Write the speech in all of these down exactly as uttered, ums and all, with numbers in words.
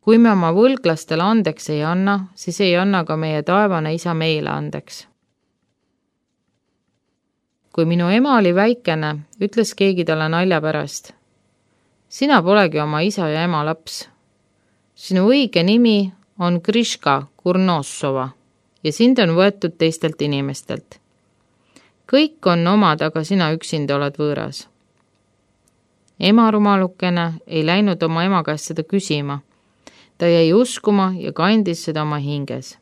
Kui me oma võlglastele andeks ei anna, siis ei anna ka meie taevane isa meile andeks. Kui minu ema oli väikene, ütles keegi talle nalja pärast. Sina polegi oma isa ja ema laps. Sinu õige nimi on Kriška Kurnossova ja sind on võetud teistelt inimestelt. Kõik on omad, aga sina üksinda oled võõras. Ema rumalukene ei läinud oma ema käest seda küsima. Ta jäi uskuma ja kandis seda oma hinges.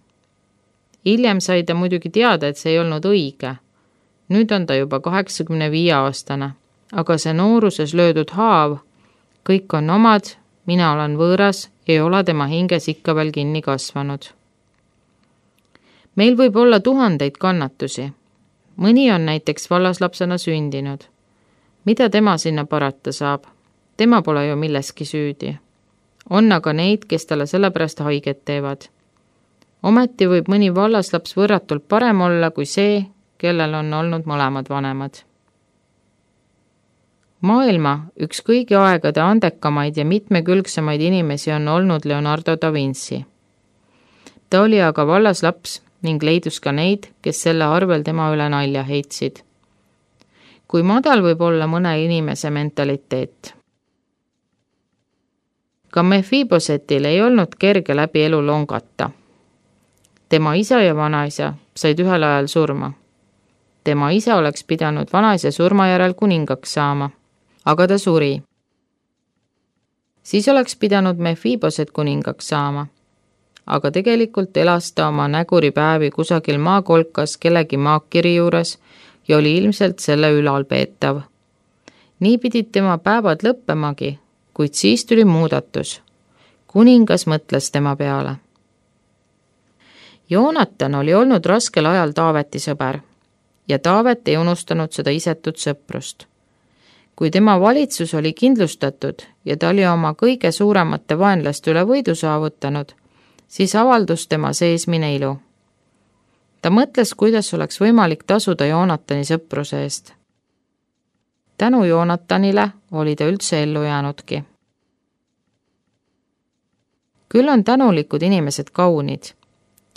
Hiljem sai ta muidugi teada, et see ei olnud õige. Nüüd on ta juba kaheksakümne viie aastane, aga see nooruses löödud haav, kõik on omad, mina olen võõras, ei ole tema hinges ikka veel kinni kasvanud. Meil võib olla tuhandeid kannatusi. Mõni on näiteks vallaslapsena sündinud. Mida tema sinna parata saab? Tema pole ju milleski süüdi. On aga neid, kes talle sellepärast haiget teevad. Ometi võib mõni vallaslaps võrratult parem olla kui see, kellel on olnud mõlemad vanemad. Maailma üks kõigi aegade andekamaid ja mitmekülgsemaid inimesi on olnud Leonardo da Vinci. Ta oli aga vallaslaps ning leidus ka neid, kes selle arvel tema üle nalja heitsid. Kui madal võib olla mõne inimese mentaliteet. Ka Mephibosetil ei olnud kerge läbi elu longata. Tema isa ja vanaisa said ühel ajal surma. Tema isa oleks pidanud vanaisa surma järel kuningaks saama, aga ta suri. Siis oleks pidanud Mephiboset kuningaks saama, aga tegelikult elas ta oma näguripäevi kusagil maakolkas kellegi maakiri juures ja oli ilmselt selle ülalpeetav. Nii pidid tema päevad lõppemagi, kuid siis tuli muudatus. Kuningas mõtles tema peale. Joonatan oli olnud raskel ajal Taaveti sõber ja Taavet ei unustanud seda isetut sõprust. Kui tema valitsus oli kindlustatud ja ta oli oma kõige suuremate vaenlaste üle võidu saavutanud, siis avaldus tema seesmine ilu. Ta mõtles, kuidas oleks võimalik tasuda Joonatani sõpruse eest. Tänu Joonatanile oli ta üldse ellu jäänudki. Küll on tänulikud inimesed kaunid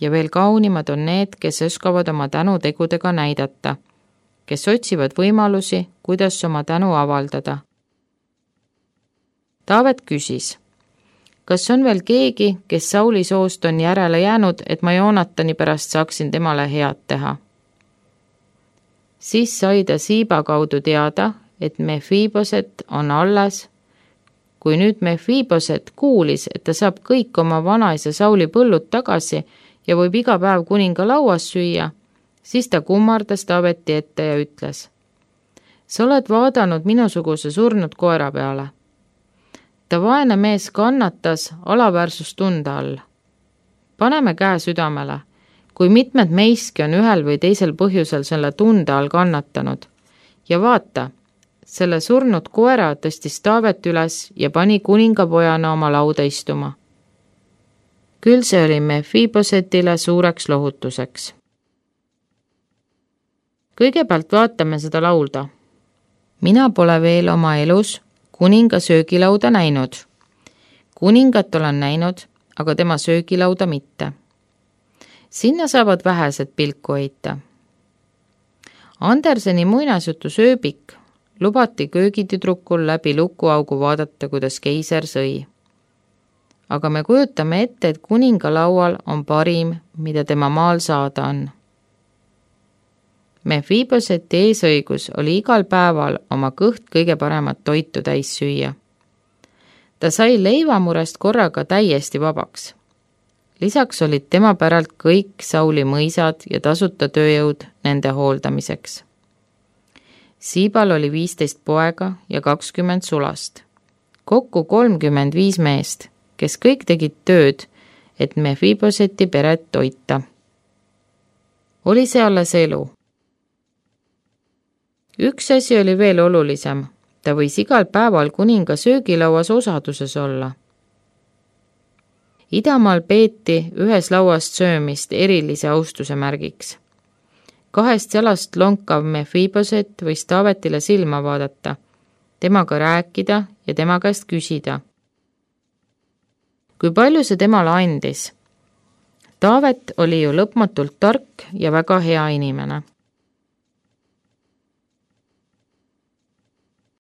ja veel kaunimad on need, kes oskavad oma tänu tegudega näidata, kes otsivad võimalusi, kuidas oma tänu avaldada. Taavet küsis, kas on veel keegi, kes Sauli soost on järele jäänud, et ma Joonatani pärast saaksin temale head teha. Siis sai ta Siiba kaudu teada, et Mephiboset on alles. Kui nüüd Mephiboset kuulis, et ta saab kõik oma vanaisa Sauli põllud tagasi ja võib iga päev kuninga lauas süüa, siis ta kummardas Taaveti ette ja ütles, sa oled vaadanud minusuguse surnud koera peale. Ta vaene mees kannatas alaväärsustunde all. Paneme käe südamele, kui mitmed meiski on ühel või teisel põhjusel selle tunde all kannatanud. Ja vaata, selle surnud koera tõstis Taavet üles ja pani kuningapojana oma lauda istuma. Küll see oli Mephibosetile suureks lohutuseks. Kõigepealt vaatame seda laulda. Mina pole veel oma elus kuninga söögilauda näinud. Kuningat olen näinud, aga tema söögilauda mitte. Sinna saavad vähesed pilku heita. Anderseni muinasjutu Sööbik lubati köögitüdrukul läbi lukuaugu vaadata, kuidas keiser sõi. Aga me kujutame ette, et kuninga laual on parim, mida tema maal saada on. Mephiboseti eesõigus oli igal päeval oma kõht kõige paremat toitu täis süüa. Ta sai leivamurest korraga täiesti vabaks. Lisaks olid tema päralt kõik Sauli mõisad ja tasuta tööjõud nende hooldamiseks. Siibal oli viisteist poega ja kakskümmend sulast. Kokku kolmkümmend viis meest, kes kõik tegid tööd, et Mephiboseti peret toita. Oli see alles elu. Üks asi oli veel olulisem. Ta võis igal päeval kuninga söögilauas osaduses olla. Idamaal peeti ühes lauast söömist erilise austuse märgiks. Kahest jalast lonkav Mephiboset võis Taavetile silma vaadata, temaga rääkida ja tema käest küsida. kui palju see temale andis. Taavet oli ju lõpmatult tark ja väga hea inimene.